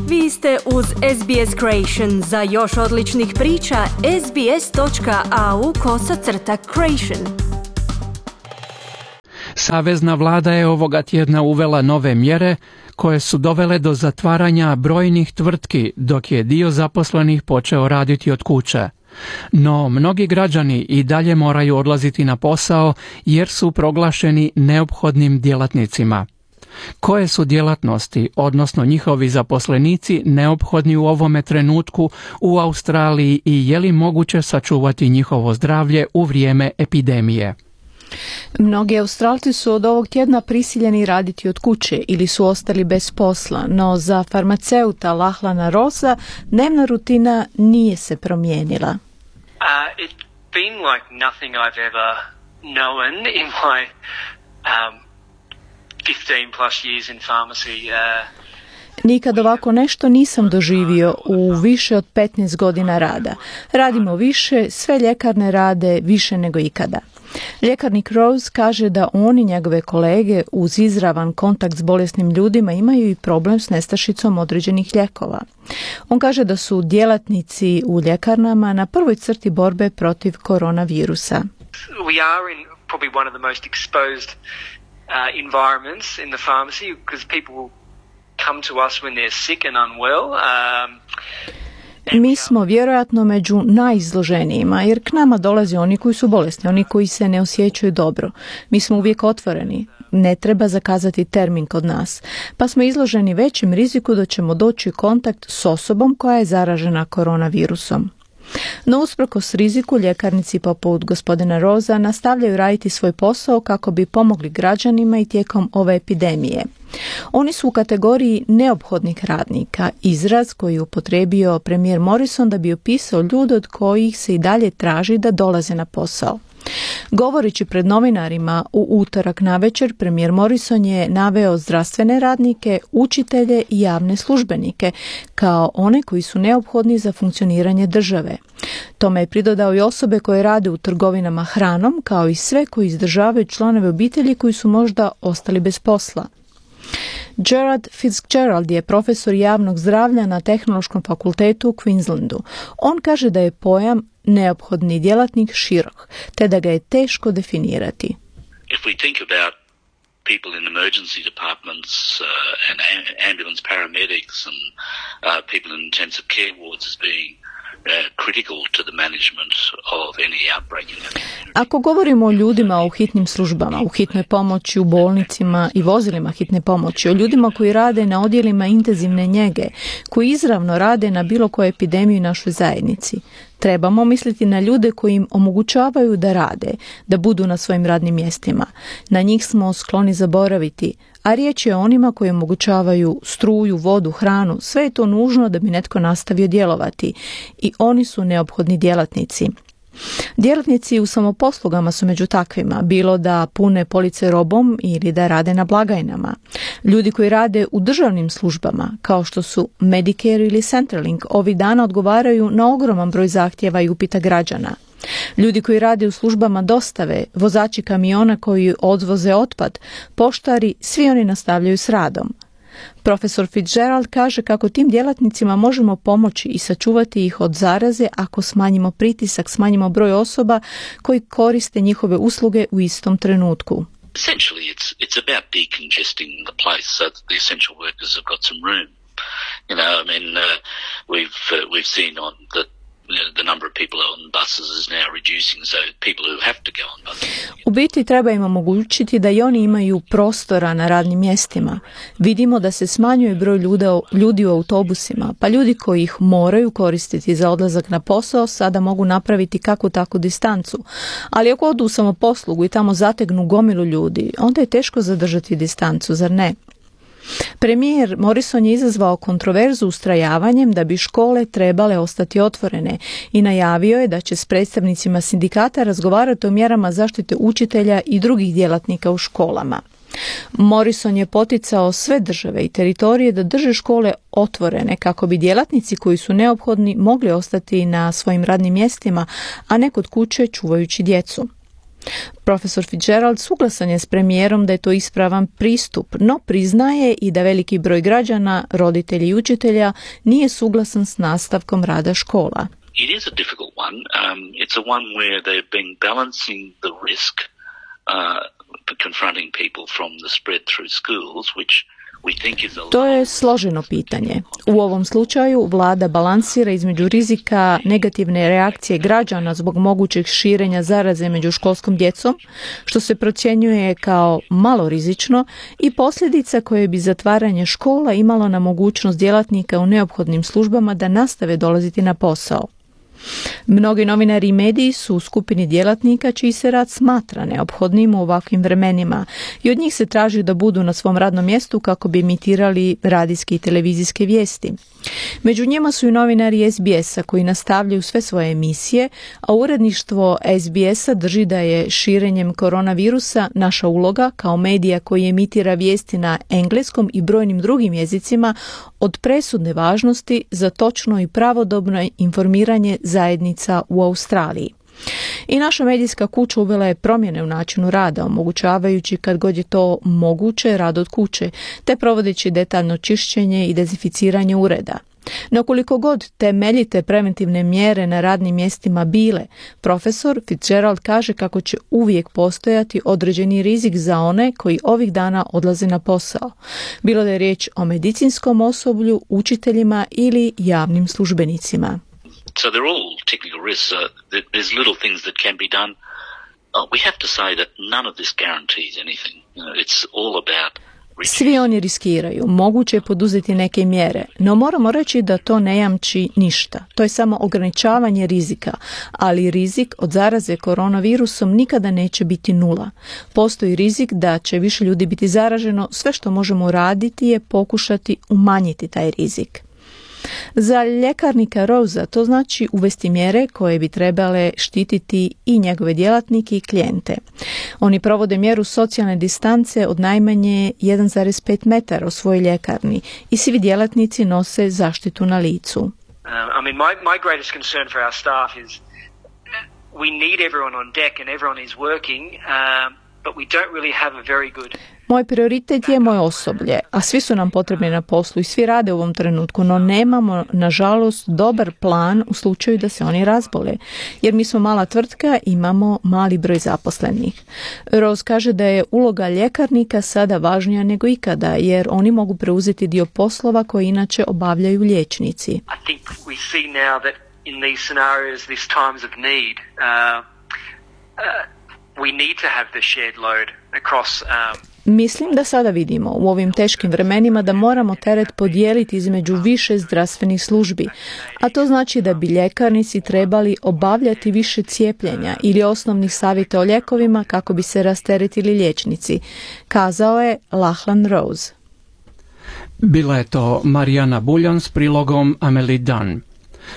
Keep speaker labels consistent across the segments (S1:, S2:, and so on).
S1: Vi ste uz SBS Creation. Za još odličnih priča, sbs.au/creation.
S2: Savezna vlada je ovoga tjedna uvela nove mjere koje su dovele do zatvaranja brojnih tvrtki, dok je dio zaposlenih počeo raditi od kuće. No, mnogi građani i dalje moraju odlaziti na posao jer su proglašeni neophodnim djelatnicima. Koje su djelatnosti, odnosno njihovi zaposlenici, neophodni u ovome trenutku u Australiji i je li moguće sačuvati njihovo zdravlje u vrijeme epidemije?
S3: Mnogi Australci su od ovog tjedna prisiljeni raditi od kuće ili su ostali bez posla, no za farmaceuta Lahlana Rosa dnevna rutina nije se promijenila.
S4: It's been like nothing I've ever known in my 15 plus years in pharmacy.
S3: Nikad ovako nešto nisam doživio u više od 15 godina rada. Radimo više, sve ljekarne rade više nego ikada. Ljekarnik Rose kaže da on i njegove kolege uz izravan kontakt s bolesnim ljudima imaju i problem s nestašicom određenih lijekova. On kaže da su djelatnici u ljekarnama na prvoj crti borbe protiv koronavirusa.
S4: We are in probably one of the most exposed environments in the pharmacy because people come to us when they're sick and unwell.
S3: Mi smo vjerojatno među najizloženijima jer k nama dolaze oni koji su bolesni, oni koji se ne osjećaju dobro. Mi smo uvijek otvoreni, ne treba zakazati termin kod nas, pa smo izloženi većem riziku da ćemo doći u kontakt s osobom koja je zaražena koronavirusom. No usprkos riziku, ljekarnici poput gospodina Rosa nastavljaju raditi svoj posao kako bi pomogli građanima i tijekom ove epidemije. Oni su u kategoriji neophodnih radnika, izraz koji je upotrijebio premijer Morrison da bi opisao ljude od kojih se i dalje traži da dolaze na posao. Govoreći pred novinarima u utorak navečer, premijer Morrison je naveo zdravstvene radnike, učitelje i javne službenike kao one koji su neophodni za funkcioniranje države. Tome je pridodao i osobe koje rade u trgovinama hranom, kao i sve koji izdržavaju članove obitelji koji su možda ostali bez posla. Gerard Fitzgerald je profesor javnog zdravlja na Tehnološkom fakultetu u Queenslandu. On kaže da je pojam neophodni djelatnik širok, te da ga je teško definirati.
S5: If we think about people in emergency departments and ambulance paramedics and people in intensive care wards as being critical to the management of any outbreak in our community.
S3: Ako govorimo o ljudima u hitnim službama, u hitnoj pomoći, u bolnicima i vozilima hitne pomoći, o ljudima koji rade na odjelima intenzivne njege, koji izravno rade na bilo kojoj epidemiji u našoj zajednici, trebamo misliti na ljude koji im omogućavaju da rade, da budu na svojim radnim mjestima. Na njih smo skloni zaboraviti, a riječ je o onima koji omogućavaju struju, vodu, hranu, sve je to nužno da bi netko nastavio djelovati i oni su neophodni djelatnici. Djelatnici u samoposlugama su među takvima, bilo da pune police robom ili da rade na blagajnama. Ljudi koji rade u državnim službama, kao što su Medicare ili Centrelink, ovih dana odgovaraju na ogroman broj zahtjeva i upita građana. Ljudi koji rade u službama dostave, vozači kamiona koji odvoze otpad, poštari, svi oni nastavljaju s radom. Profesor Fitzgerald kaže kako tim djelatnicima možemo pomoći i sačuvati ih od zaraze ako smanjimo pritisak, smanjimo broj osoba koji koriste njihove usluge u istom trenutku.
S5: Essentially, it's about decongesting the place so that the essential workers have got some room. You know, I mean, we've seen on the number of people on buses is now reducing, so people who have to go on buses.
S3: U biti treba im omogućiti da i oni imaju prostora na radnim mjestima. Vidimo da se smanjuje broj ljudi u autobusima, pa ljudi koji ih moraju koristiti za odlazak na posao sada mogu napraviti kakvu takvu distancu. Ali ako odu u samoposlugu i tamo zategnu gomilu ljudi, onda je teško zadržati distancu, zar ne? Premijer Morrison je izazvao kontroverzu ustrajavanjem da bi škole trebale ostati otvorene i najavio je da će s predstavnicima sindikata razgovarati o mjerama zaštite učitelja i drugih djelatnika u školama. Morrison je poticao sve države i teritorije da drže škole otvorene kako bi djelatnici koji su neophodni mogli ostati na svojim radnim mjestima, a ne kod kuće čuvajući djecu. Profesor Fitzgerald suglasan je s premijerom da je to ispravan pristup, no priznaje i da veliki broj građana, roditelji i učitelja nije suglasan s nastavkom rada škola.
S5: It is a difficult one. It's a one where they've been balancing the risk confronting people from the spread through schools, which we think is a...
S3: To je složeno pitanje. U ovom slučaju vlada balansira između rizika negativne reakcije građana zbog mogućeg širenja zaraze među školskom djecom, što se procjenjuje kao malo rizično, i posljedica koje bi zatvaranje škola imalo na mogućnost djelatnika u neophodnim službama da nastave dolaziti na posao. Mnogi novinari i mediji su u skupini djelatnika čiji se rad smatra neophodnim u ovakvim vremenima i od njih se traži da budu na svom radnom mjestu kako bi emitirali radijske i televizijske vijesti. Među njima su i novinari SBS-a koji nastavljaju sve svoje emisije, a uredništvo SBS-a drži da je širenjem koronavirusa naša uloga kao medija koji emitira vijesti na engleskom i brojnim drugim jezicima od presudne važnosti za točno i pravodobno informiranje zajednica u Australiji. I naša medijska kuća uvela je promjene u načinu rada, omogućavajući kad god je to moguće rad od kuće, te provodeći detaljno čišćenje i dezinficiranje ureda. No koliko god temeljite preventivne mjere na radnim mjestima bile, profesor Fitzgerald kaže kako će uvijek postojati određeni rizik za one koji ovih dana odlaze na posao. Bilo da je riječ o medicinskom osoblju, učiteljima ili javnim službenicima.
S5: So they're all technical risks. There's little things that can be done. We have to say that none of this guarantees anything. It's all about...
S3: Svi oni riskiraju, moguće je poduzeti neke mjere, no moramo reći da to ne jamči ništa. To je samo ograničavanje rizika, ali rizik od zaraze koronavirusom nikada neće biti nula. Postoji rizik da će više ljudi biti zaraženo, sve što možemo uraditi je pokušati umanjiti taj rizik. Za ljekarnika Rosea to znači uvesti mjere koje bi trebale štititi i njegove djelatnike i klijente. Oni provode mjeru socijalne distance od najmanje 1,5 metara u svojoj ljekarni i svi djelatnici nose zaštitu na licu.
S4: My greatest concern for our staff is we need everyone on deck and everyone is working, but we don't really have a very good...
S3: Moj prioritet je moje osoblje, a svi su nam potrebni na poslu i svi rade u ovom trenutku, no nemamo, nažalost, dobar plan u slučaju da se oni razbole, jer mi smo mala tvrtka i imamo mali broj zaposlenih. Rose kaže da je uloga ljekarnika sada važnija nego ikada, jer oni mogu preuzeti dio poslova koje inače obavljaju liječnici.
S4: I think we see now that in these scenarios, these times of need, we need to have the shared load across...
S3: Mislim da sada vidimo u ovim teškim vremenima da moramo teret podijeliti između više zdravstvenih službi, a to znači da bi ljekarnici trebali obavljati više cijepljenja ili osnovnih savjeta o lijekovima kako bi se rasteretili liječnici, kazao je Lachlan Rose.
S2: Bila je to Marijana Buljan s prilogom Amelie Dunn.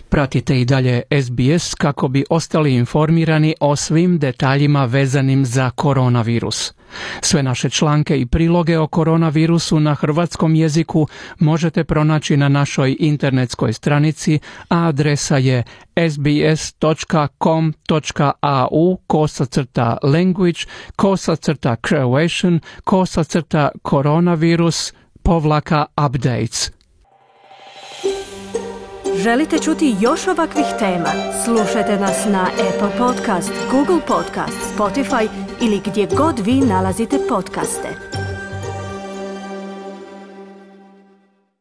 S2: Pratite i dalje SBS kako bi ostali informirani o svim detaljima vezanim za koronavirus. Sve naše članke i priloge o koronavirusu na hrvatskom jeziku možete pronaći na našoj internetskoj stranici, a adresa je sbs.com/au/Croatian/coronavirus/updates.
S1: Želite čuti još ovakvih tema? Slušajte nas na Apple Podcast, Google Podcast, Spotify ili gdje god vi nalazite podcaste.